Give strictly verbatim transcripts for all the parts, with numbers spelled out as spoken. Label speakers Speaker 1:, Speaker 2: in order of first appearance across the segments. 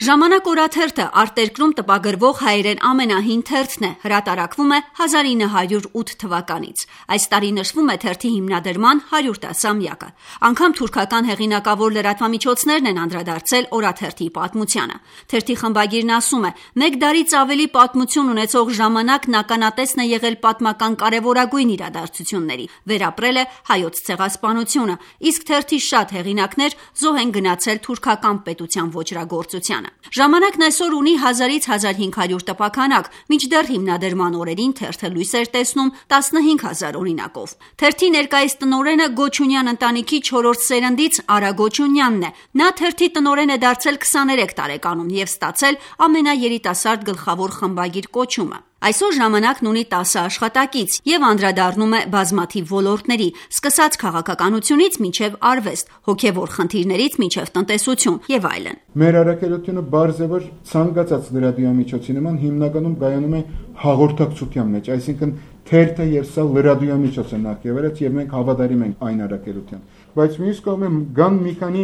Speaker 1: Ժամանակ օրաթերթը արտերկրում տպագրվող հայերեն ամենահին թերթն է, հրատարակվում է հազար ինը հարյուր ութ թվականից։ Այս տարի նշվում է թերթի հիմնադրման հարյուրտասամյակը։ Անգամ թուրքական հեղինակավոր լրատվամիջոցներն են անդրադարձել օրաթերթի պատմությանը։ Թերթի խմբագիրն ասում է. «Մեկ դարից ավելի պատմություն ունեցող ժամանակն ականատեսն է եղել պատմական կարևորագույն իրադարձությունների, վերապրել է հայոց ցեղասպանությունը, իսկ թերթի շատ հեղինակներ զոհ են գնացել թուրքական պետության ոճրագործությանը»։ Ժամանակն այսօր ունի հազարից հազար հինգ հարյուր տպաքանակ, մինչդեռ հիմնադրման օրերին թերթը լույս էր տեսնում տասնհինգ հազար օրինակով։ Թերթի ներկայիս տնօրենը Գոչունյան ընտանիքի չորրորդ սերնդից Արա Գոչունյանն է։ Նա թերթի տնօրեն է դարձել քսաներեք տարեկանում եւ ստացել ամենաերիտասարդ գլխավոր խմբագիր կոչումը։ Այսօր ժամանակն ունի տասը աշխատակից եւ անդրադառնում է բազմաթիվ ոլորտների, սկսած քաղաքականությունից մինչեւ արվեստ, հոգեվոր խնդիրներից մինչեւ տնտեսություն եւ այլն։
Speaker 2: Մեր առաքելությունը բարձ է, որ ցանկացած լրատվամիջոցի նման հիմնականում կայանում է հաղորդակցության մեջ, այսինքն թերթը եւ սա լրատվամիջոց է նախ-եւ-առաջ եւ մենք հավատարիմ ենք այն առաքելության։ Բայց մյուս կողմը կան մի քանի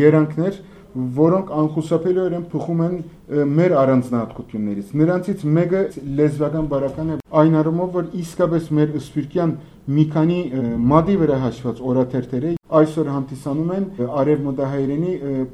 Speaker 2: երանգներ, որոնք անխուսափելիորեն փոխում են մեր առանձնահատկություններից։ Նրանցից մեկը լեզվական բարական է այն առումով, որ իսկապես մեր սփյուռքյան մի քանի մադի վրա հաշված օրաթերթերը այսօր հանդիսանում են արևմտահայերենի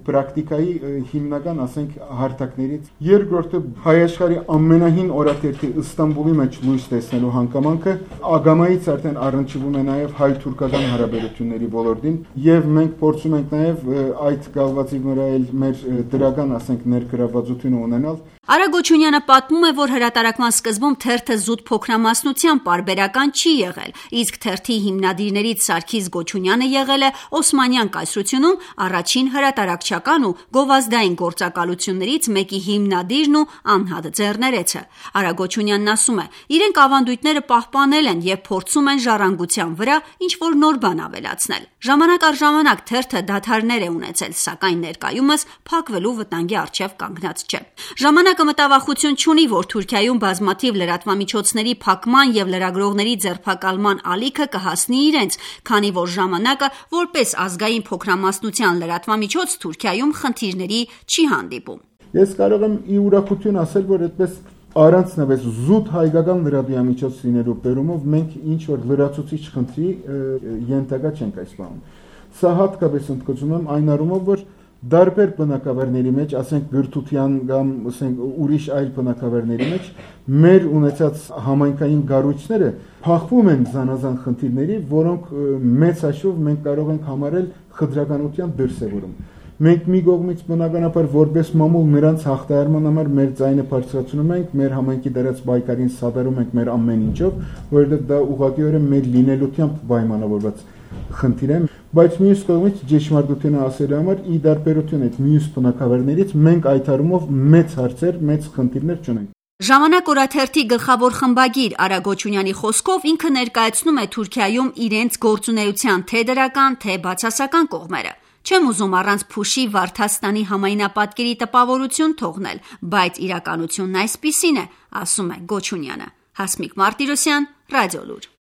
Speaker 2: պրակտիկայի հիմնական, ասենք, հարթակներից։ Երկրորդը հայ աշխարհի ամենահին օրաթերթի Ստամբուլի մեջ լույս տեսնելու հանգամանքը ագամայից արդեն առնչվում է նաև հայ-թուրքական հարաբերությունների ոլորտին, եւ մենք փորձում ենք նաև այդ գալվածի վրա մեր դրական, ասենք, ներգրավվածությունը ունենալ։
Speaker 1: Արա Գոչունյանը պատմում է, որ հրատարակման սկզբում թերթը զուտ փոքրամասնությամբ պարբերական չի եղել, իսկ թերթի հիմնադիրներից Սարգիս Գոչունյանը եղել է Օսմանյան կայսրությունում առաջին հրատարակչական ու գովազդային գործակալություններից մեկի հիմնադիրն ու անհատ ձեռներեցը։ Արա Գոչունյանն ասում է. իրենք ավանդույթները պահպանել են եւ փորձում են ժառանգության վրա ինչ-որ նոր բան ավելացնել։ Ժամանակ առ ժամանակ թերթը դադարներ է ունեցել, սակայն ներկայումս փակվելու վտանգի առջև կանգնած չէ։ Ժամանակը մտավախություն չունի, որ Թուրքիայում բազմաթիվ լրատվամիջոցների փակման եւ լրագրողների ձերբակալման ալիքը կհասնի իրենց, քանի որ ժամանակը որպես ազգային փոքրամասնության լրատվամիջոց Թուրքիայում խնդիրների չի հանդիպում։
Speaker 2: Ես կարող եմ ի ուրախություն ասել, որ այդպես առանցնապես զուտ հայկական լրատվամիջոց լինելու բերումով մենք ինչ որ լրացուցիչ խնդրի ենթակա չենք այս բանում։ Սա հատկապես ընդգծում եմ այն առումով, որ դարբեր բնակավարների մեջ, ասենք գրթության կամ ասենք ուրիշ այլ բնակավարների մեջ մեր ունեցած համայնքային գառույցները փախվում են զանազան խնդիրների, որոնք մեծ հաշվով մենք կարող ենք համարել խտրականության դրսևորում։ Մենք մի կողմից բնականաբար որպես մամուլ նրանց հաղթահարման համար մեր ձայնը բարձրացնում ենք, մեր համայնքի դրած պայքարին սատարում ենք մեր ամեն ինչով, որովհետև դա ուղղակիորեն մեր լինելությամբ պայմանավորված խնդիր է, բայց մյուս կողմից ճշմարտությունը ասելու համար ի տարբերություն այդ մյուս բնակավարներից մենք այդ առումով մեծ հարցեր, մեծ խնդիրներ չունենք։
Speaker 1: Ժամանակ օրաթերթի գլխավոր խմբագիր Արա Գոչունյանի խոսքով ինքը ներկայացնում է Թուրքիայում իրենց գործունեության թե դրական, թե բացասական կողմերը։ Չեմ ուզում առանց փուշի Վարդաստանի համայնապատկերի տպավորություն թողնել, բայց իրականությունն այսպիսին է, ասում է Գոչունյանը։ Հասմիկ Մարտիրոսյան, Ռադիոլուր։